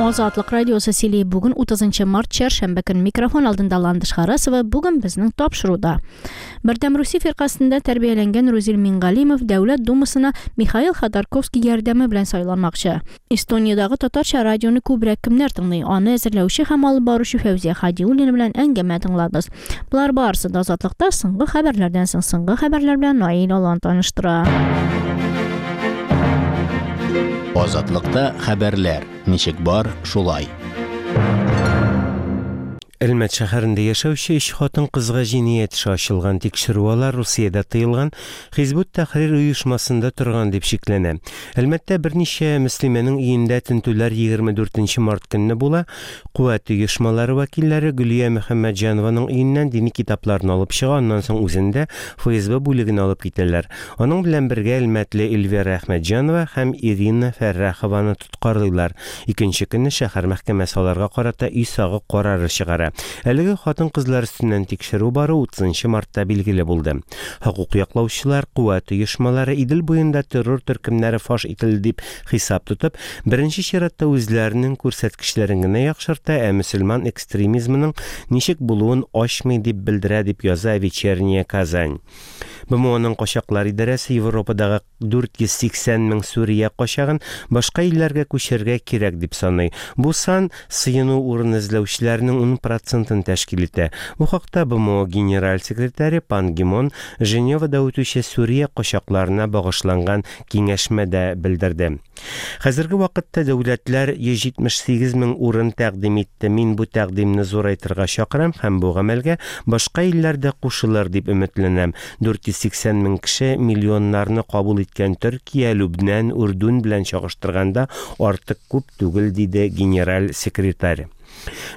Азатлык радиосы сөйли. Бүген 30 март чәршәмбе көн. Микрофон алдында Ландыш Харасова. Бүген безнең тапшыруда. Бердәм Русия фиркасендә тәрбияләнгән Рузил Мингалимов Дәүләт Думасына Михаил Ходорковский ярдәме белән сайланмакчы. Эстониядагы татарча радионы күбрәк кемнәр тыңлый? Аны әзерләүче һәм алып баручы Фәүзия Хадиуллина белән әңгәмә тыңларбыз. Болар барысы да Азатлыкта соңгы хәбәрләрдән соң. Соңгы хәбәрләр белән Наил Алан таныштыра. Азатлыкта хәбәрләр ничек бар, шулай. Әлмәт шәһәрендә яшәүче өч хатын-кызга җинаять эше ачылган. Тикшерү алар Русиядә тыелган Хизбут Тәхрир оешмасында торган дип шикләнә. Әлмәттә берничә мөслимәнең өендә тентүләр 24 нче март көнне була. Куәт оешмалары вәкилләре Гөлия Мөхәммәтҗанованың өеннән дини китапларны алып чыга, аннан соң үзен дә ФСБ бүлегенә алып китәләр. Аның белән бергә әлмәтле Эльвира Әхмәтҗанова һәм Ирина Фәррахованы тоткарлыйлар. Икенче көнне шәһәр мәхкәмәсе аларга карата өй сагы карары чыгара. Әлеге хатын-кызлар өстеннән тикшерү бару 30 мартта билгеле булды. Хокук яклаучылар, куәт оешмалары Идел буенда террор төркемнәре фаш ителде дип Хисап тотып, беренче чиратта үзләренең күрсәткечләрен генә яхшырта, ә мөселман экстремизмының ничек булуын ачмый, дип белдерә, дип яза Вечерняя Казань. БМОның качаклар идарәсе Европадагы 480 мең Сүрия качагын башка илләргә күчерергә кирәк дип саный. Бу сан сыену урыны эзләүчеләрнең ун процентын тәшкил итә. Бу хакта БМО генераль секретаре Пан Ги Мун Женевада үтүче Сүрия качакларына багышланган киңәшмәдә белдерде. Хәзерге вакытта дәүләтләр 178 мең урын тәкъдим итте. Мин бу тәкъдимне зурайтырга чакырам һәм бу гамәлгә башка илләр дә кушылыр дип өметләнәм. 480 мең кеше миллионнарны кабул иткән Төркия, Лүбнән, Үрдүн белән чагыштырганда артык күп түгел, диде генераль секретарь.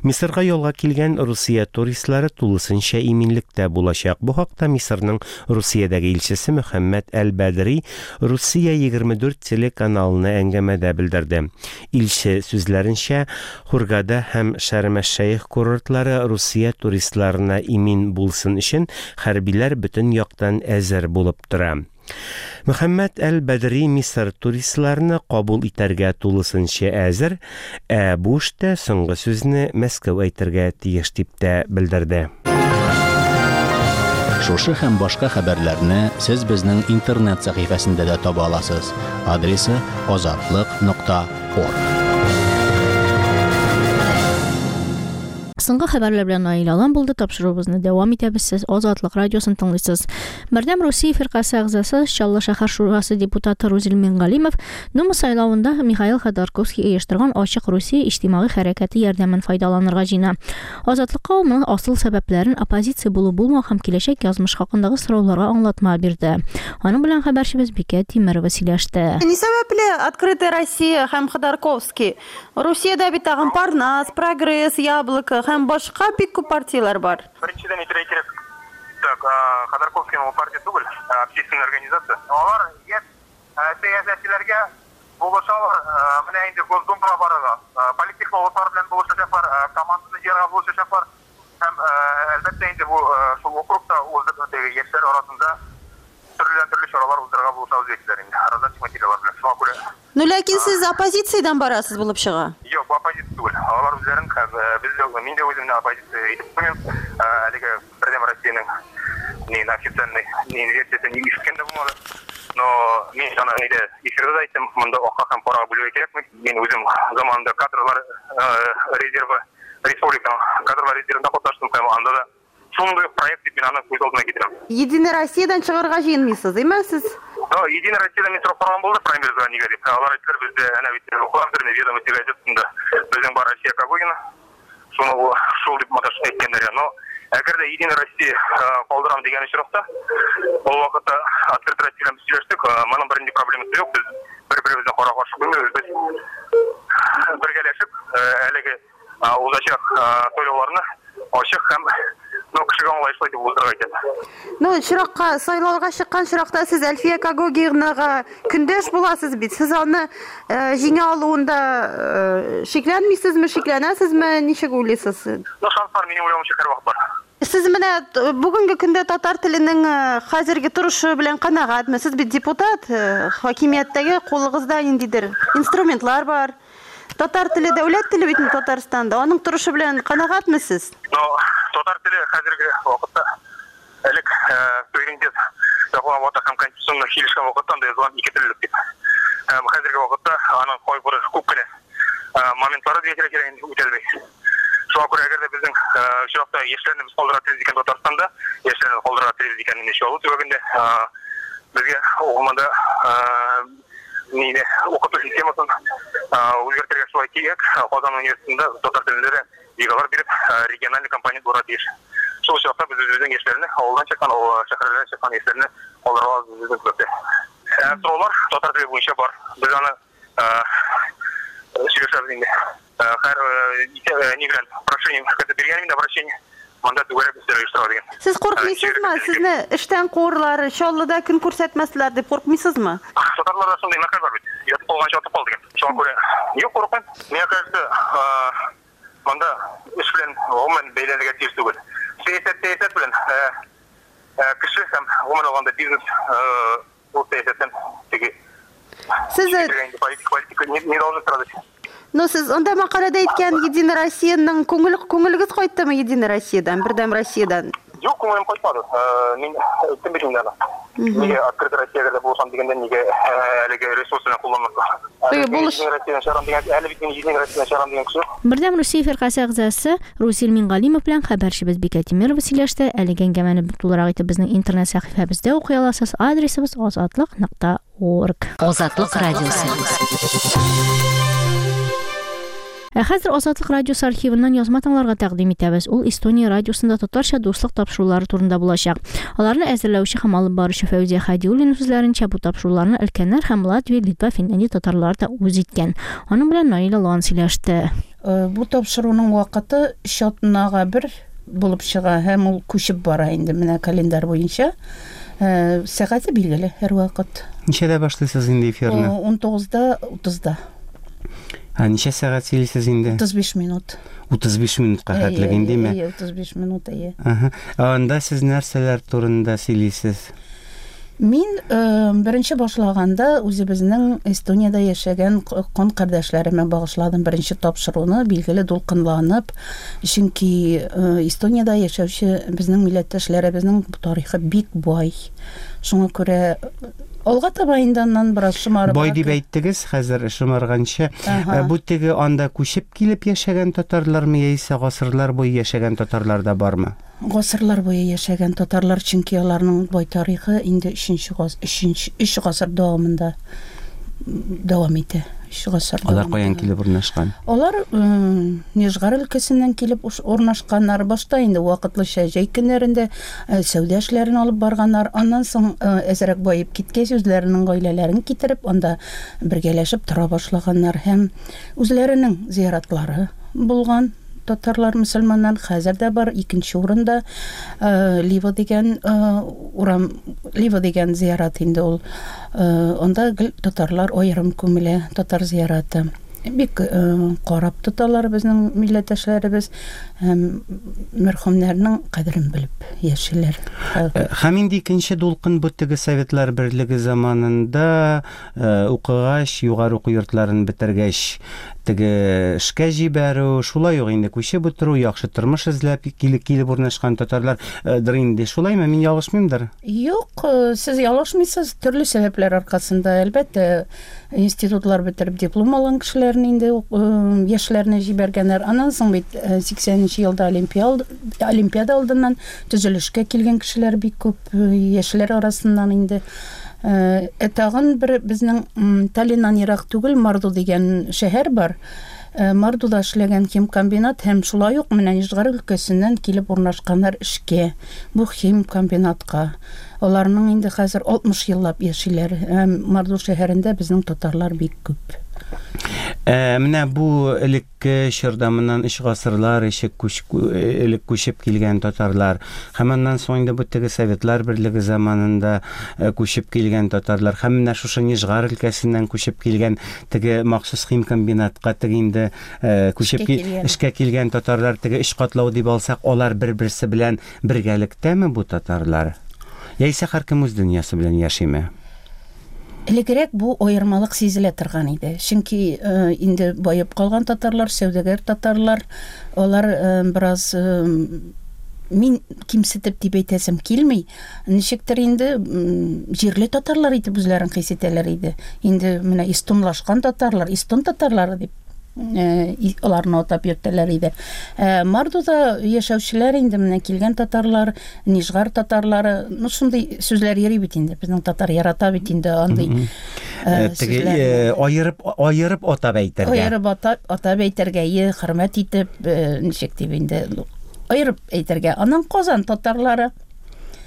Мисырга ялга килгән Русия туристлары тулысынча иминлектә булачак. Бу хакта Мисырның Русиядәге илчесе Мөхәммәд әл-Бәдри Русия 24 телеканалына әңгәмәдә белдерде. Илче сүзләренчә, Хургада һәм Шәрм-әш-Шәех курортлары Русия туристларына имин булсын өчен хәрбиләр бөтен яктан әзер булып тора. Мөхәммәд әл-Бәдри Мисыр туристларны кабул итәргә тулысынча әзер, ә бу эштә соңгы сүзне Мәскәү әйтергә тиеш дип тә белдерде. Шушы һәм башка хәбәрләрне сез безнең интернет сәхифәсендә дә таба аласыз. Адресы азатлык нокта орг. Соңгы хәбәрләр белән Наил Алан булды. Тапшыруыбызны дәвам итәбез. Сез Азатлык радиосын тыңлыйсыз. Бердәм Русия фиркасе әгъзасы, Чаллы шәһәр шурасы депутаты Рузил Мингалимов Дума сайлавында Михаил Ходорковский оештырган Ачык Русия иҗтимагый хәрәкәте ярдәмен файдаланырга җыена. Азатлыкка ул моның асыл сәбәпләрен, оппозиция булу-булмау һәм киләчәк язмыш хакындагы сорауларга аңлатма бирде. Аның белән хәбәрчебез Бикә Тимерова сөйләште. Ни сәбәпле Открытая Россия һәм Ходорковский? Русиядә бит тагын Парнас, Прогресс, Яблоко һәм башка бик күп партияләр бар. Беренчедән әйтергә кирәк, так, Ходорковскийның ул партия түгел, ә общественная организация. Алар яшь сәясәтчеләргә булышалар, менә инде Госдумага барырга, политтехнологлар белән булышачаклар, команданы җыярга булышачаклар. Һәм, әлбәттә инде, бу шул округта уздырып, теге яшьләр арасында төрледән-төрле чаралар уздырырга булышабыз диделәр инде, раздаточный материаллар белән. Шуңа күрә Ну, ләкин сез оппозициядән барасыз булып чыга. Юк, бу оппозиция түгел. Алар үзләрен һәм без дә, мин дә үземне оппозиция итеп куймыйм. Әлеге Бердәм Россиянең ни официальный ни версиясен ишеткән дә булмады. Но мин аны нидә эфирда да әйттем, монда акка һәм карага бүлергә кирәкми. Мин үзем заманында кадрлар резервы, республиканың кадрлар резервында катнаштым һәм анда да Шундый ук проект дип мин аны күз алдына китерәм. Единая Россиядән чыгарга җыенмыйсыз, димме сез? Да, Единая Россиядән мин сорап караган булды праймеризга нигә дип. Алар әйттеләр, бездә әнә бит укыгандыр инде Ведомости газетасында безнең бар Россия Когогина. Шуны ул шул дип маташ әйткәннәр. Но әгәр дә Единая Россия калдырам дигән очракта, ул вакытта Открытая Россия белән без сөйләштек, моның бернинди проблемасы юк, без бер-беребезне кара-каршы куймыйбыз, без бергәләшеп әлеге узачак сайлауларны ачык һәм ну, кешегә аңлаешлы итеп уздырырга кирәк. Ну, чиракка, сайлауга чыккан чиракта сез Әлфия Когогинага көндәш буласыз бит. Сез аны җиңә алуында шикләнмисезме, шикләнәсезме, ничек уйлыйсыз? Ну, шанслар, минем уйлавымча, һәрвакыт бар. Сез менә бүгенге көндә татар теленең хәзерге торышы белән канәгатьме? Сез бит депутат, хакимияттәге кулыгызда ниндидер инструментлар бар. Татар теле дәүләт теле бит инде Татарстанда. Аның торышы белән канәгатьме сез? Но татар теле хәзерге вакытта элек суверенитет яклаган вакытта һәм конституционно килешкән вакытта анда язылган ике теллелек дип. Һәм хәзерге вакытта аның кайбер күп кенә моментлары дип әйтергә кирәк инде үтәлми. Шуңа күрә әгәр дә безнең очракта яшьләрне без калдырырга телибез икән Татарстанда, яшьләрне калдырырга телибез икән инде Чаллы төбәгендә, безгә гомумән мине укыту системасын үзгәртергә шулай кирәк. Казан университетында татар телендә дә ЕГЭлар биреп, региональный компонент булырга тиеш. Шул очракта без үзебезнең яшьләрне, авылдан чыккан, шәһәрләрдән чыккан яшьләрне калдыра алабыз үзебезнең төбәктә. Сораулар татар теле буенча бар. Без аны сөйләшәбез инде. Һәр ни белән прошение биргән инде обращение. Монда түгәрәк өстәл оештыра дигән. Сез куркмыйсызмы? Сезне эштән куырлар, Чаллыда көн күрсәтмәсләр дип куркмыйсызмы? Татарларда шундый мәкаль бар бит. Ятып калганчы атып кал дигән. Шуңа күрә юк, курыкмыйм. Миңа кажется, монда эш белән гомумән бәйләнергә тиеш түгел. Сәясәт сәясәт белән, кеше һәм гомумән алганда бизнес ул сәясәттән теге Сез политика, политика не, не должны страдать. Но сез анда мәкаләдә әйткән Единая Россияның күңел күңелегез кайттымы Единая Россиядан, Бердәм Россиядан? Юк, күңелем кайтмады. Мин әйттем бит инде аны. Нигә Открытая Россиягә булышам дигәндә, нигә әлеге ресурсны кулланмаска? Единая Россиядан чыгарам дигән, әле бит мин Единая Россиядан чыгарам дигән кеше. Бердәм Русия фиркасе әгъзасы Русил Мингалимов белән хәбәрчебез Бикә Тимирова сөйләште. Әлеге әңгәмәне тулырак итеп безнең интернет сәхифәбездә укый аласыз. Адресыбыз азатлык.орг. Азатлык радиосы. Ә хәзер Азатлык радиосы архивыннан язма тыңларга тәкъдим итәбез. Ул Эстония радиосында татарча дуслык тапшырулары турында булачак. Аларны әзерләүче һәм алып баручы Фәүзия Хәдиуллина сүзләренчә, бу тапшыруларны өлкәннәр һәм Латвия, Литва, Финляндия татарлары да үз иткән. Аның белән Наилә Лан сөйләште. Бу тапшыруның вакыты өч атнага бер булып чыга һәм ул күчеп бара инде менә календарь буенча. Сәгате билгеле һәрвакыт. Ничәдә башлыйсыз инде эфирны? 19-да 30-да. Ә ничә сәгать сөйлисез инде? 35 минут. 35 минутка хәтлек индеме? Әйе, 35 минут, әйе. Ага. Ә анда сез нәрсәләр турында сөйлисез? Мин беренче башлаганда үзебезнең Эстониядә яшәгән кан кардәшләремә багышладым беренче тапшыруны, билгеле дулкынланып, чөнки Эстониядә яшәүче безнең милләттәшләребезнең тарихы бик бай. Шуңа күрә алга таба инде аннан бераз шомарып. Бай дип әйттегез, хәзер шомарганчы. Бу теге анда күчеп килеп яшәгән татарлармы яисә гасырлар буе яшәгән татарлар да бармы? Гасырлар буе яшәгән татарлар, чөнки аларның бай тарихы инде өченче гас, өченче, өч гасыр дәвамында дәвам итә. Өч гасыр. Алар каян килеп урнашкан? Алар Нижгар өлкәсеннән килеп урнашканнар. Башта инде вакытлыча җәй көннәрендә сәүдә эшләрен алып барганнар. Аннан соң әзрәк баеп киткәч, үзләренең гаиләләрен китереп, анда бергәләшеп тора башлаганнар һәм үзләренең зияратлары булган. Татарлар, мөселманнар хәзер дә бар. Икенче урында Лива дигән урам, Лива дигән зиярат инде ул. Анда гел татарлар аерым күмелә, татар зияраты. Бик карап тоталар безнең милләттәшләребез һәм мәрхүмнәрнең кадерен белеп яшиләр. Һәм инде икенче дулкын бу теге Советлар Берлеге заманында Укыгач, югары уку йортларын бетергәч, теге эшкә җибәрү, шулай ук инде күчеп утыру, яхшы тормыш эзләп килеп урнашкан татарлар дыр инде. Шулаймы, мин ялгышмыймдыр? Юк, сез ялгышмыйсыз. Төрле сәбәпләр аркасында, әлбәттә, институтлар бетереп диплом алган кешеләрне инде яшьләрне җибәргәннәр. Аннан соң бит 80 нче елда Олимпиада алдыннан төзелешкә килгән кешеләр бик күп, яшьләр арасыннан инде. Ә тагын бер безнең Таллиннан ерак түгел Марду дигән шәһәр бар. Мардуда эшләгән химкомбинат һәм шулай ук менә Нижгар өлкәсеннән килеп урнашканнар эшкә бу химкомбинатка. Аларның инде хәзер 60 еллап яшиләр. Һәм Марду шәһәрендә безнең татарлар бик күп. Ә менә бу элек Элекке чорда моннан өч гасырлар эчек күч, элек күчеп килгән татарлар һәм аннан соң инде бу теге Советлар Берлеге заманында күчеп килгән татарлар һәм менә шушы Нижгар өлкәсеннән күчеп килгән теге махсус химкомбинатка теге инде күчеп эшкә килгән татарлар теге өч катлау дип алсак, алар бер-берсе белән бергәлектәме бу татарлар? Яисә һәркем үз дөньясы белән яшиме? Элегрәк бу аермалык сизелә торган иде. Чөнки инде баеп калган татарлар, сәүдәгәр татарлар, алар бераз мин кимсетеп дип әйтәсем килми, ничектер инде җирле татарлар итеп үзләрен хис итәләр иде. Инде менә эстонлашкан татарлар, эстон татарлары дип аларны атап йөртәләр иде. Ә Мардуда яшәүчеләр инде менә килгән татарлар, Нижгар татарлары, ну шундый сүзләр йөри бит инде. Безнең татар ярата бит инде андый теге аерып аерып атап әйтергә. Аерып атап, атап әйтергә, е, хөрмәт итеп, ничек дип инде аерып әйтергә. Аннан Казан татарлары.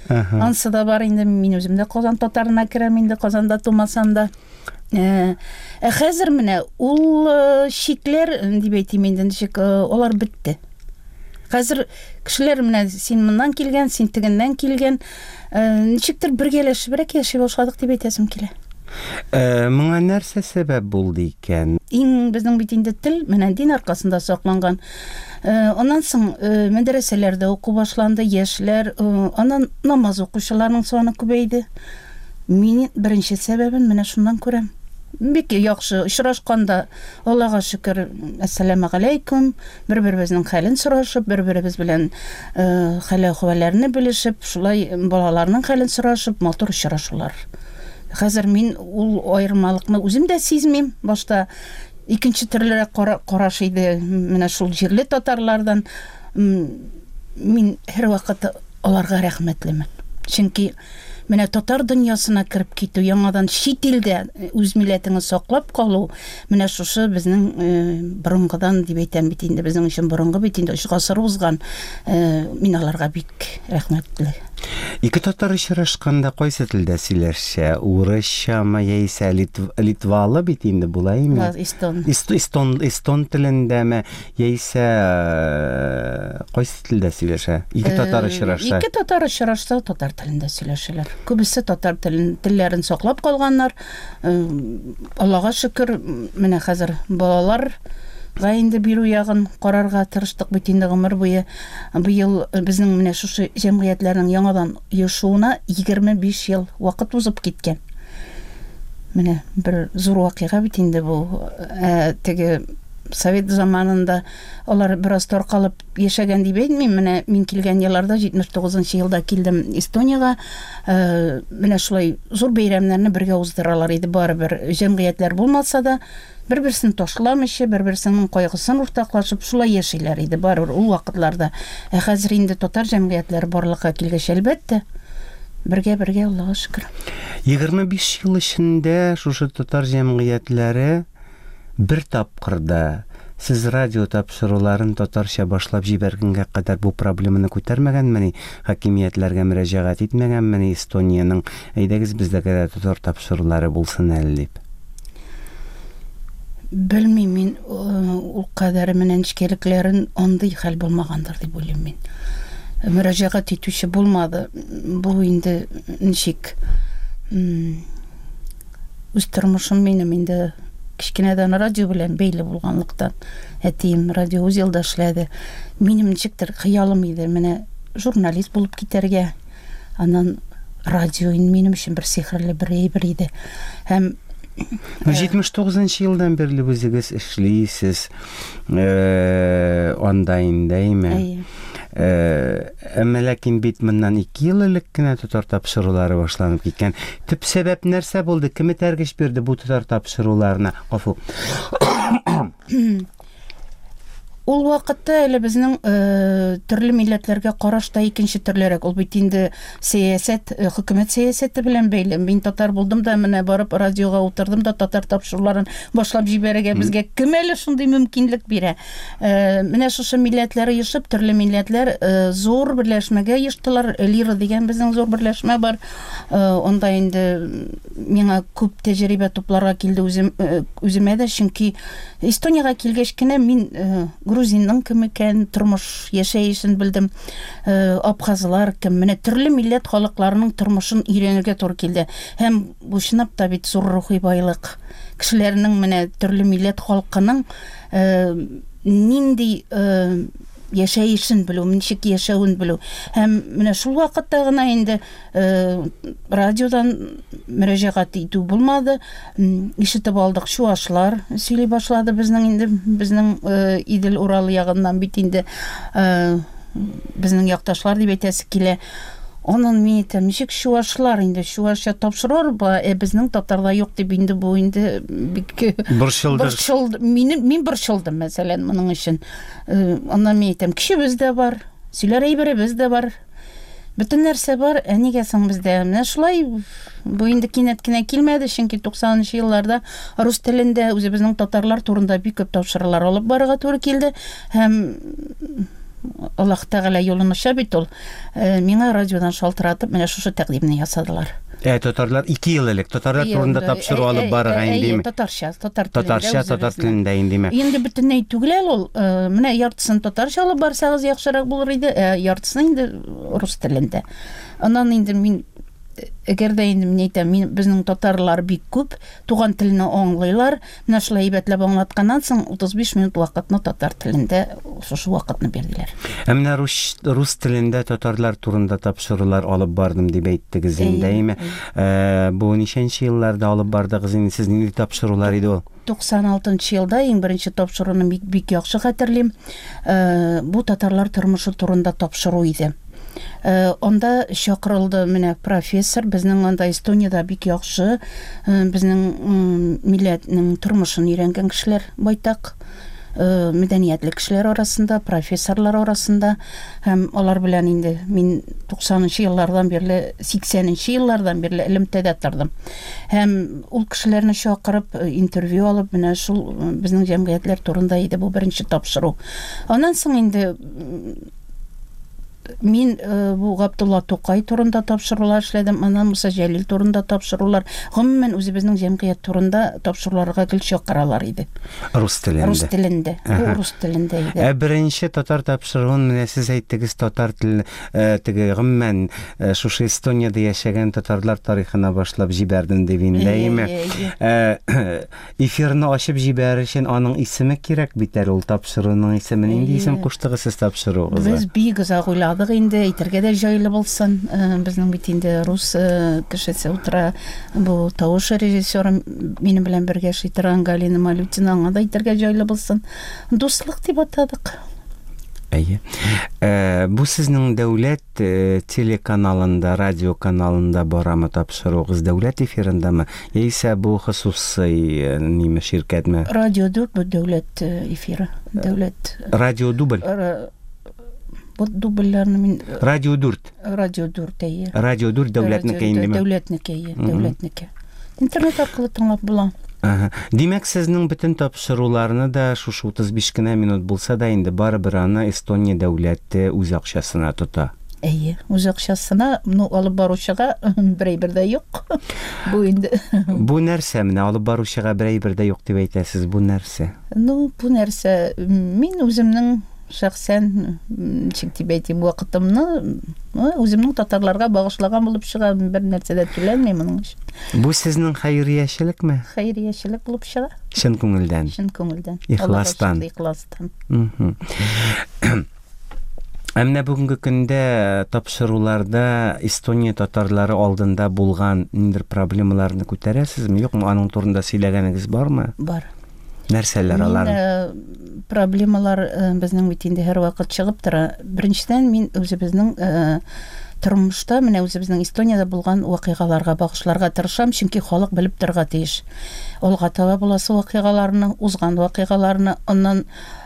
Ансы да бар инде, мин үзем дә Казан татарына керәм инде, Казанда тумасам да. Ә хәзер менә ул чикләр, дип әйтим инде, ничек, алар бетте. Хәзер кешеләр менә син моннан килгән, син тегеннән килгән, ничектер бергәләшебрәк яши башладык дип әйтәсем килә. Моңа нәрсә сәбәп булды икән? Иң безнең бит инде тел менә дин аркасында сакланган. Аннан соң мәдрәсәләрдә уку башланды, яшьләр, аннан намаз укучыларның саны күбәйде. Мин беренче сәбәбен менә шуннан күрәм. Бик яхшы очрашканда, Аллага шөкер, әссәламегаләйкүм, бер-беребезнең хәлен сорашып, бер-беребез белән хәл-әхвәлләрне белешеп, шулай балаларның хәлен сорашып, матур очрашулар. Хәзер мин ул аермалыкны үзем дә сизмим. Башта икенче төрлерәк караш иде менә шул җирле татарлардан. Мин һәрвакыт аларга рәхмәтлемен. Чөнки менә татар дөньясына кереп китү, яңадан чит илдә үз милләтеңне саклап калу, менә шушы безнең борынгыдан дип әйтәм бит инде, безнең өчен борынгы бит инде, өч гасыр узган. Мин аларга бик рәхмәтле. Ике татар очрашканда кайсы телдә сөйләшә? Урысчамы яисә литвалы бит инде була име? Эстон. Эстон, эстон телендәме яисә кайсы телдә сөйләшә? Ике татар очрашса. Ике татар очрашса, татар телендә сөйләшәләр. Күбесе татар телен, телләрен саклап калганнар. Аллага шөкер, менә хәзер балалар га инде бирү ягын карарга тырыштык бит инде гомер буе. Быел безнең менә шушы җәмгыятьләрнең яңадан оешуына 25 ел вакыт узып киткән. Менә бер зур вакыйга бит инде бу. Ә, теге совет заманында алар бераз таркалып яшәгән дип әйтмим. Менә мин килгән елларда, 79 нчы елда килдем Эстониягә. Менә шулай зур бәйрәмнәрне бергә уздыралар иде барыбер. Җәмгыятьләр булмаса да, Бер-берсен ташламыйча, бер-берсенең кайгысын уртаклашып, шулай яшиләр иде барыбер ул вакытларда. Ә хәзер инде татар җәмгыятьләре барлыкка килгәч, әлбәттә, бергә-бергә, Аллага шөкер. 25 ел эчендә шушы татар җәмгыятьләре бер тапкыр да сез радио тапшыруларын татарча башлап җибәргәнгә кадәр бу проблеманы күтәрмәгәнмени, хакимиятләргә мөрәҗәгать итмәгәнмени Эстониянең, әйдәгез бездә дә татар тапшырулары булсын әле дип? Белмим мин ул кадәр менә нечкәлекләрен, андый хәл булмагандыр дип уйлыйм мин. Мөрәҗәгать итүче булмады. Бу инде ничек үз тормышым минем инде кечкенәдән радио белән бәйле булганлыктан, әтием радиоузелда эшләде. Минем ничектер хыялым иде менә журналист булып китәргә. Аннан радио инде минем өчен бер сихерле бер әйбер иде. Һәм 79 нчы елдан бирле үзегез эшлисез анда инде, әйме? Әйе. Әмма ләкин бит моннан 2 ел элек кенә татар тапшырулары башланып киткән. Төп сәбәп нәрсә булды? Кем этәргеч бирде бу татар тапшыруларына? Гафу. Ул вакытта әле безнең э, төрле милләтләргә караш та икенче төрлерәк. Ул бит инде сәясәт, э, хөкүмәт сәясәте белән бәйле. Мин татар булдым да, менә барып радиога утырдым да татар тапшыруларын башлап җибәрергә безгә кем әле шундый мөмкинлек бирә? Э, менә шушы милләтләр оешып, төрле милләтләр э, зур берләшмәгә оештылар. Лира дигән безнең зур берләшмә бар. Э, анда инде миңа күп тәҗрибә тупларга килде үзем, э, үземә дә, чөнки Эстониягә килгәч кенә мин э, грузинның кем икән, тормыш яшәешен белдем. Э, абхазлар кем, менә төрле милләт халыкларының тормышын өйрәнергә туры килде. Һәм бу чынлап та бит зур рухи байлык. Кешеләрнең менә төрле милләт халкының э, нинди Яшәешен белү, ничек яшәвен белү. Һәм менә шул вакытта гына инде радиодан мөрәҗәгать итү булмады. Ишетеп алдык, чуашлар сөйли башлады безнең инде, безнең Идел Урал ягыннан бит инде безнең якташлар дип әйтәсе килә. Аннан мин әйтәм, ничек чуашлар инде, чуашча тапшырыр ба, ә безнең татарда юк дип инде бу инде бик борчылды. Борчылды. Минем мин борчылдым, мәсәлән, моның өчен. Аннан мин әйтәм, көчебез дә бар, сөйләр әйберебез дә бар. Бөтен нәрсә бар, ә нигә соң бездә? Менә шулай бу инде кинәт кенә килмәде, чөнки 90 елларда рус телендә үзебезнең татарлар турында бик күп тапшырулар алып барырга туры килде һәм Аллаһ Тәгалә юлын ача бит ул. Миңа радиодан шалтыратып, менә шушы тәкъдимне ясадылар. Ә татарлар 2 ел элек татарлар турында тапшыру алып барырга индеме? Татарча, татар телендә. Татарча, татар телендә индеме? Инде бөтенләй түгел әле ул. Менә яртысын татарча алып барсагыз яхшырак булыр иде, ә яртысын инде рус телендә. Аннан инде мин әгәр дә инде мин әйтәм, мин безнең татарлар бик күп, туган телне аңлыйлар. Менә шулай әйбәтләп аңлатканнан соң 35 минут вакытны татар телендә шушы вакытны бирделәр. Ә менә рус, рус телендә татарлар турында тапшырулар алып бардым дип әйттегез инде, әйеме? Э, бу ничәнче елларда алып бардыгыз инде? Сез нинди тапшырулар иде ул? 96 елда иң беренче тапшыруны бик, бик яхшы хәтерлим. Э, бу татарлар тормышы турында тапшыру иде. Э, анда чакырылды менә профессор, безнең анда Эстониядә бик яхшы, э, безнең милләтнең тормышын өйрәнгән кешеләр байтак, э, мәдәниятле кешеләр арасында, профессорлар арасында һәм алар белән инде мин 90 еллардан бирле, 80 еллардан бирле элемтәдә тордым. Һәм ул кешеләрне чакырып, интервью алып, менә шул безнең җәмгыятьләр турында иде бу беренче тапшыру. Аннан соң инде Мин э, бу Габдулла Тукай турында тапшырулар эшләдем, аннан Муса Җәлил турында тапшырулар, гомумән үзебезнең җәмгыять турында тапшыруларга гел чакыралар иде. Рус телендә. Рус телендә. Бу рус телендә иде. Ә беренче татар тапшыруын менә сез әйттегез, татар теле э, теге гомумән э, шушы Эстониядә яшәгән татарлар тарихына башлап җибәрдем дип инде, әйеме? Эфирны ачып җибәрер өчен аның исеме кирәк бит әле ул тапшыруның исеме. Нинди исем куштыгыз сез тапшыруыгызга? Без бик озак уйладык инде, әйтергә дә җайлы булсын. Э, безнең бит инде рус э, кешесе утыра. Бу тавыш режиссеры минем белән бергә эшли торган Галина Малютина, аңа да әйтергә җайлы булсын. Дуслык дип атадык. Әйе. Э, бу сезнең дәүләт Телеканалында, радио каналында барамы тапшыруыгыз, дәүләт эфирындамы, яисә бу хосусый ниме, ширкәтме? Радио дүрт бу дәүләт эфиры, дәүләт. Радио дубль? Бу дубльләрне мин Радио дүрт. Радио дүрт, әйе. Радио дүрт дәүләтнеке индеме? Дәүләтнеке, әйе, дәүләтнеке. Интернет аркылы тыңлап була. Ага. Димәк, сезнең бөтен тапшыруларны да шушы 35 кенә минут булса да инде барыбер аны Эстония дәүләте үз акчасына тота. Әйе, үз акчасына, ну, алып баручыга бер әйбер дә юк. Бу инде. Бу нәрсә менә алып баручыга бер әйбер дә юк дип әйтәсез, бу нәрсә? Ну, бу нәрсә, мин үземнең шәхсән, ничек дип әйтим, вакытымны үземнең татарларга багышлаган булып чыга, бер нәрсә дә түләнми моның өчен. Бу сезнең хәйриячелекме? Хәйриячелек булып чыга. Чын күңелдән. Чын күңелдән. Ихластан. Ихластан. Ә менә бүгенге көндә тапшыруларда Эстония татарлары алдында булган ниндидер проблемаларны күтәрәсезме, юкмы? Аның турында сөйләгәнегез бармы? Бар. Нәрсәләр алар? Э, проблемалар э, безнең бит инде һәрвакыт чыгып тора. Беренчедән, мин үзебезнең э, тормышта, менә үзебезнең Эстониядә булган вакыйгаларга багышларга тырышам, чөнки халык белеп торырга тиеш. Алга таба буласы вакыйгаларны, узган вакыйгаларны, аннан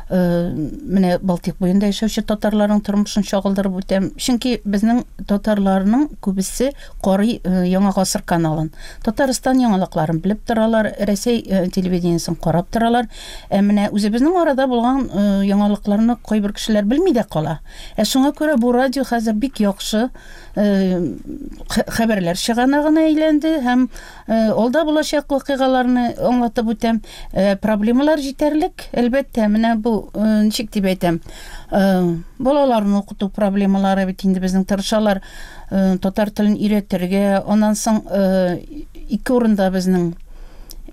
менә Балтик буенда яшәүче татарларның тормышын чагылдырып үтәм. Чөнки безнең татарларның күбесе карый Яңа гасыр каналын. Татарстан яңалыкларын белеп торалар, Рәсәй телевидениесен карап торалар. Ә менә үзебезнең арада булган яңалыкларны кайбер кешеләр белми дә кала. Ә шуңа күрә бу радио хәзер бик яхшы хәбәрләр чыганагына әйләнде һәм алда булачак вакыйгаларны аңлатып үтәм. Проблемалар җитәрлек, әлбәттә. Менә бу ничек дип әйтәм, балаларны укыту проблемалары бит инде безнең тырышалар татар телен өйрәтергә. Аннан соң ике урында безнең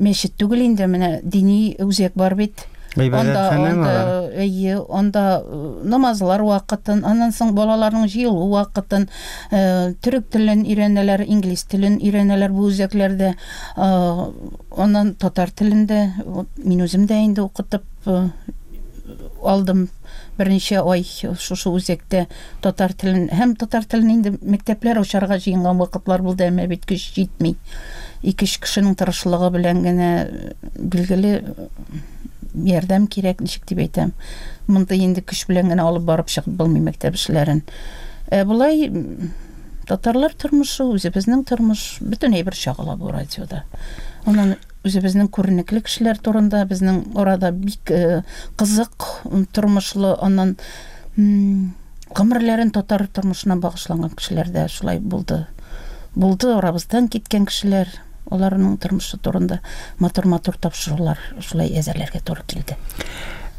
мәчет түгел инде, менә дини үзәк бар бит. Гыйбадәтханәме алар? Әйе, анда намазлар вакытын, аннан соң балаларның җыелу вакытын, төрек телен өйрәнәләр, инглиз телен өйрәнәләр бу үзәкләрдә. Аннан татар телен дә мин үзем дә инде укытып алдым берничә ай шушы үзәктә татар телен һәм татар телен инде мәктәпләр ачарга җыенган вакытлар булды, әмма бит көч җитми. Ике-өч кешенең тырышлыгы белән генә билгеле ярдәм кирәк, ничек дип әйтәм. Мондый инде көч белән генә алып барып чыгып булмый мәктәп эшләрен. Ә болай татарлар тормышы, үзебезнең тормыш, бөтен әйбер чагыла бу радиода. Аннан үзебезнең күренекле кешеләр турында безнең арада бик э, кызык тормышлы, аннан гомерләрен татар тормышына багышланган кешеләр дә шулай булды. Булды арабыздан киткән кешеләр, аларның тормышы турында матур-матур тапшырулар шулай әзерләргә туры килде.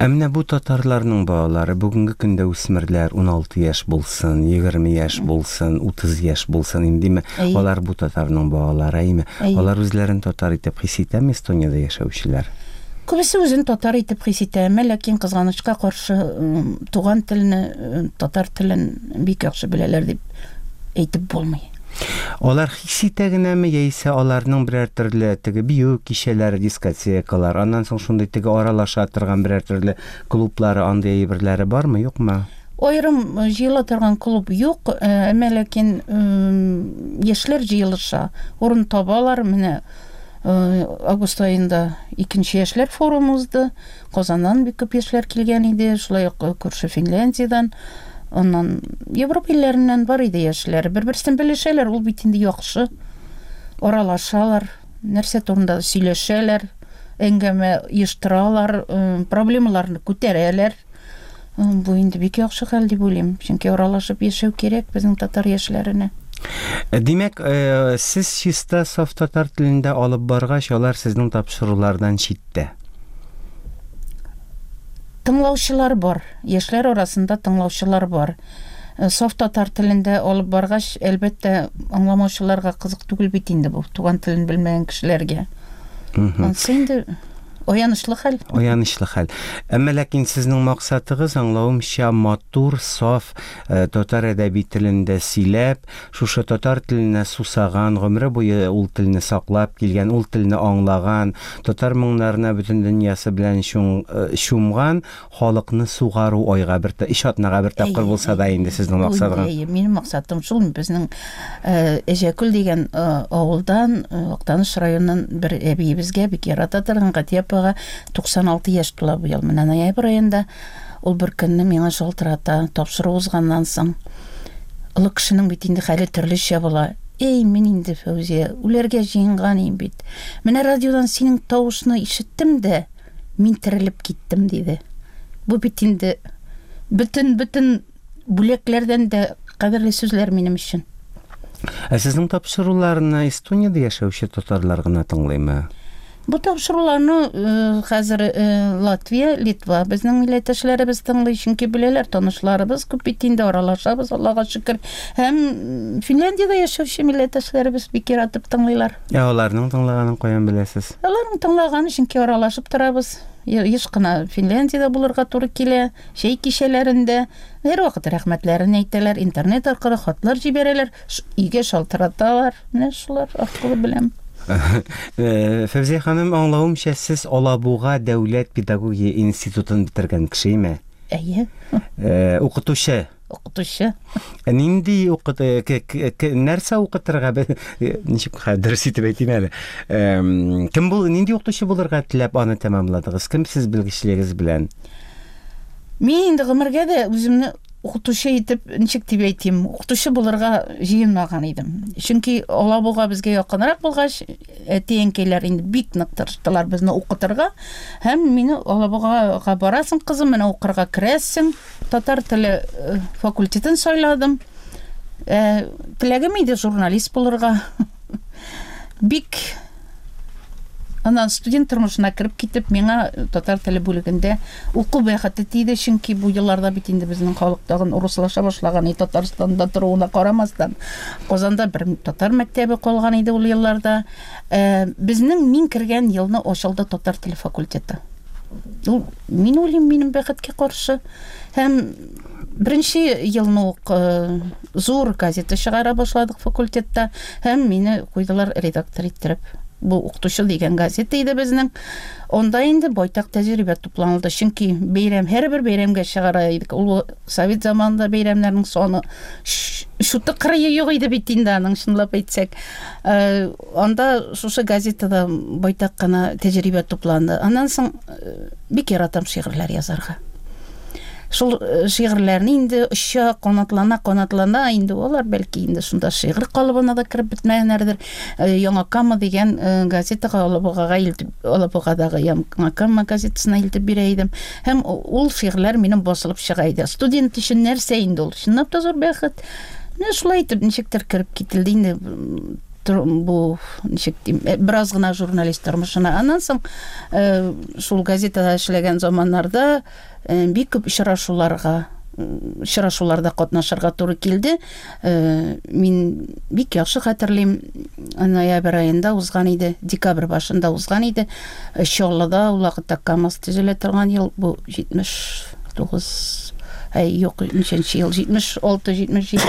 Ә менә бу татарларның балалары, бүгенге көндә үсмерләр, 16 яшь булсын, 20 яшь булсын, 30 яшь булсын, индеме, алар бу татарның балалары, әйеме? Алар үзләрен татар итеп хис итәме Эстониядә яшәүчеләр? Күбесе үзен татар итеп хис итә, әмма ләкин кызганычка каршы туган телне, татар телен бик яхшы беләләр дип әйтеп булмый. Алар хис итә генәме, яисә аларның берәр төрле теге бию кичәләре, дискотекалар, аннан соң шундый теге аралаша торган берәр төрле клублары, андый әйберләре бармы, юкмы? Аерым җыела торган клуб юк, әмма ләкин яшьләр җыелыша, урын табалар. Менә август аенда икенче яшьләр форумы узды. Казаннан бик күп яшьләр килгән иде, шулай ук күрше Финляндиядән, аннан Европа илләреннән бар иде яшьләр. Бер-берсен белешәләр, ул бит инде яхшы. Аралашалар, нәрсә турында сөйләшәләр, әңгәмә оештыралар, проблемаларны күтәрәләр. Бу инде бик яхшы хәл дип уйлыйм, чөнки аралашып яшәү кирәк безнең татар яшьләренә. Димәк, сез чиста саф татар телендә алып баргач, алар сезнең тапшырулардан читтә. Тыңлаучылар бар, яшьләр арасында тыңлаучылар бар. Саф татар телендә алып баргач, әлбәттә, аңламаучыларга кызык түгел бит инде бу, туган телен белмәгән кешеләргә. Ансы инде аянычлы хәл. Аянычлы хәл. Әмма ләкин сезнең максатыгыз, аңлавымча, матур, саф татар әдәби телендә сөйләп, Шушы татар теленә сусаган, гомере буе ул телне саклап килгән, ул телне аңлаган, татар моңнарына бөтен дөньясы белән чумган халыкны сугару айга бер, өч атнага бер тапкыр булса да инде сезнең максатыгыз. Әйе, минем максатым шул, безнең Әҗәкүл дигән авылдан, Актаныш районыннан бер әбиебезгә, бик ярата торган Гатия апага 96 яшь тула быел, менә ноябрь аенда. Ул бер көнне миңа шалтырата, тапшыру узганнан соң. Олы кешенең бит инде хәле төрлечә була. Эй, мин инде, Фәүзия, үләргә җыенган идем бит. Менә радиодан синең тавышны ишеттем дә, мин терелеп киттем, диде. Бу бит инде бөтен-бөтен бүләкләрдән дә кадерле сүзләр минем өчен. Ә сезнең тапшыруларны Эстониядә яшәүче татарлар гына тыңлыймы? Бу тапшыруларны э, хәзер э, Латвия, Литва безнең милләттәшләребез тыңлый, чөнки беләләр, танышларыбыз күп бит инде, аралашабыз, Аллага шөкер. Һәм Финляндиядә яшәүче милләттәшләребез бик яратып тыңлыйлар. Ә аларның тыңлаганын каян беләсез? Аларның тыңлаганы, чөнки аралашып торабыз. Еш кына Финляндиядә булырга туры килә, чәй кичәләрендә. Һәрвакыт рәхмәтләрен әйтәләр, интернет аркылы хатлар җибәрәләр. Өйгә шалтыраталар. Менә шулар аркылы беләм. Э, Фәүзия ханым, аңлавымча, сез Алабуга дәүләт педагогия институтын бетергән кешеме? Әйе. Э, укытучы. Укытучы. Э, нинди укыт нәрсә укытырга ничек дөрес итеп әйтим әле. Кем бул нинди укытучы булырга теләп аны тәмамладыгыз? Кем сез белгечлегегез белән? Мин инде гомергә дә үземне укытучы итеп, ничек дип әйтим, укытучы булырга җыенмаган идем. Чөнки Алабуга безгә якынрак булгач, әти-әнкәйләр инде бик нык тырыштылар безне укытырга. Һәм мине Алабугага барасың, кызым, менә укырга керәсең. Татар теле э, факультетын сайладым. Э, теләгем иде журналист булырга. Бик Аннан студент тормышына кереп китеп, миңа татар теле бүлегендә уку бәхете тиде, чөнки бу елларда бит инде безнең халык тагын урыслаша башлаган иде, Татарстанда торуына карамастан. Казанда бер татар мәктәбе калган иде ул елларда. Э, безнең мин кергән елны ачылды татар теле факультеты. Ул, мин уйлыйм, минем бәхеткә каршы. Һәм беренче елны ук зур газета чыгара башладык факультетта һәм мине куйдылар редактор иттереп. Бу Укытучы дигән газета иде безнең. Анда инде байтак тәҗрибә тупланылды. Чөнки бәйрәм, һәрбер бәйрәмгә чыгара идек. Ул совет заманында бәйрәмнәрнең саны шуты кырые юк иде бит инде аның, чынлап әйтсәк. Анда шушы газетада байтак кына тәҗрибә тупланды. Аннан соң бик яратам шигырьләр язарга. Шул шигырьләрне инде оча, канатлана, канатлана, инде алар бәлки инде шунда шигырь калыбына да кереп бетмәгәннәрдер. Яңа Кама дигән газетага Алабугага илтеп, Алабугадагы Яңа Кама газетасына илтеп бирә идем. Һәм ул шигырьләр минем басылып чыга иде. Студент өчен нәрсә инде ул? Чынлап та зур бәхет. Менә шулай итеп ничектер кереп кителде инде бу ничек дим, бераз гына журналист тормышына. Аннан соң шул газетада эшләгән заманнарда бик күп очрашуларга очрашуларда катнашырга туры килде. Мин бик яхшы хәтерлим, ноябрь аенда узган иде, декабрь башында узган иде. Чаллыда ул вакытта КАМАЗ төзелә торган ел, бу 79, әй, юк, ничәнче ел, 76, 77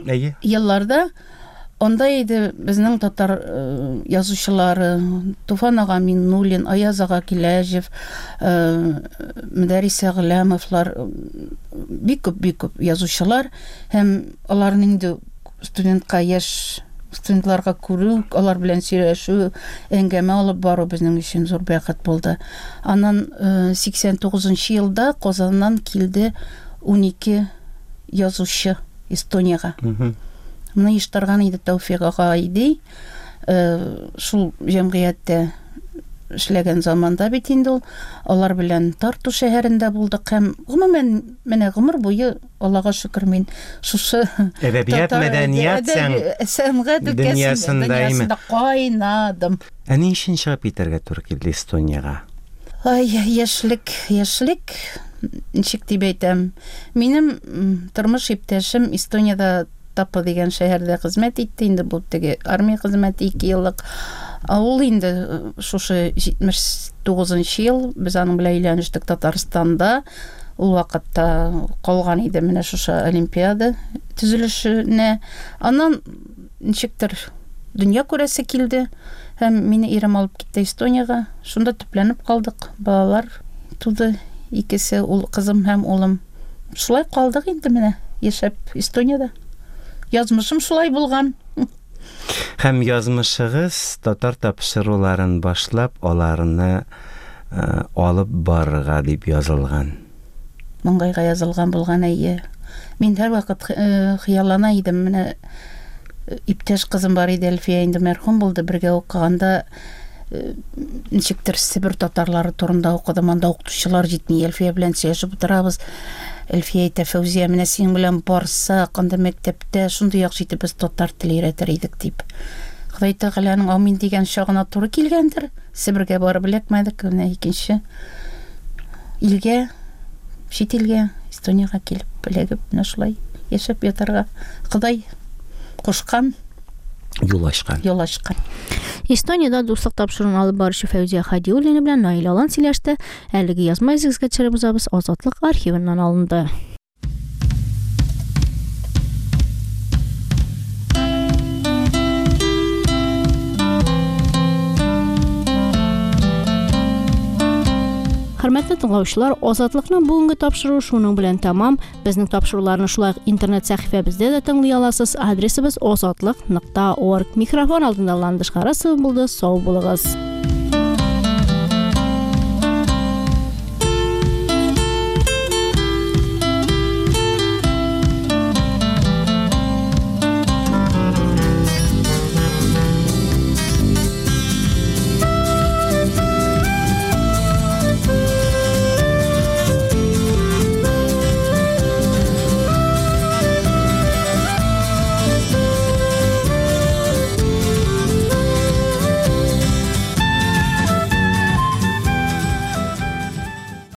Әйе. елларда анда иде безнең татар язучылары Туфан ага Миннуллин, Аяз ага Киләҗев, Мөдәррис Әгъләмовлар, бик күп, бик күп язучылар һәм аларны инде студентка, яшь студентларга күрү, алар белән сөйләшү, әңгәмә алып бару безнең өчен зур бәхет булды. Аннан 89 елда Казаннан килде 12 язучы Эстониягә. Моны оештырган иде Тәүфик ага Айди. Шул җәмгыятьтә эшләгән заманда бит инде ул. Алар белән Тарту шәһәрендә булдык һәм гомумән менә гомер буе Аллага шөкер мин шушы әдәбият, мәдәният, сәнгать дөньясында кайнадым. Ә ни өчен чыгып китәргә туры килде Эстониягә? Ай, яшьлек, яшьлек, ничек дип әйтәм. Минем тормыш иптәшем Эстониядә Тапа дигән шәһәрдә хезмәт итте, инде бу теге армия хезмәте 2 еллык. Ул инде шушы 79 ел без аның белән өйләнештек Татарстанда. Ул вакытта калган иде менә шушы олимпиада төзелешенә. Аннан ничектер дөнья күрәсе килде һәм мине ирем алып китте Эстониягә. Шунда төпләнеп калдык. Балалар туды икесе, ул кызым һәм улым. Шулай калдык инде менә яшәп Эстониядә. Язмышым шулай булган. Һәм язмышыгыз татар тапшыруларын башлап, аларны алып барырга дип язылган. Маңгайга язылган булган, әйе. Мин һәрвакыт хыяллана идем. Менә иптәш кызым бар иде, Әлфия, инде мәрхүм булды, бергә укыганда ничектер Себер татарлары турында укыдым, анда укытучылар җитми. Әлфия белән сөйләшеп утырабыз. Әлфия әйтә, Фәүзия, менә синең белән барсак, анда мәктәптә шундый яхшы итеп без татар теле өйрәтер идек, дип. Ходай Тәгаләнең амин дигән чагына туры килгәндер. Себергә барып эләкмәдек, менә икенче илгә, чит илгә, Эстониягә килеп эләгеп, менә шулай яшәп ятарга Ходай кушкан. Юл ачкан. Юл ачкан. Эстониядә дуслык тапшыруын алып баручы Фәүзия Хадиуллина белән Наил Алан сөйләште. Әлеге язма изегезгә төшереп узабыз, Азатлык архивыннан алынды. Хөрмәтле тыңлаучылар, Азатлыкның бүгенге тапшыруы шуның белән тәмам. Безнең тапшыруларны шулай ук интернет сәхифәбездә дә тыңлый аласыз. Адресыбыз азатлык нокта орг. Микрофон алдында Ландыш Харасова булды. Сау булыгыз.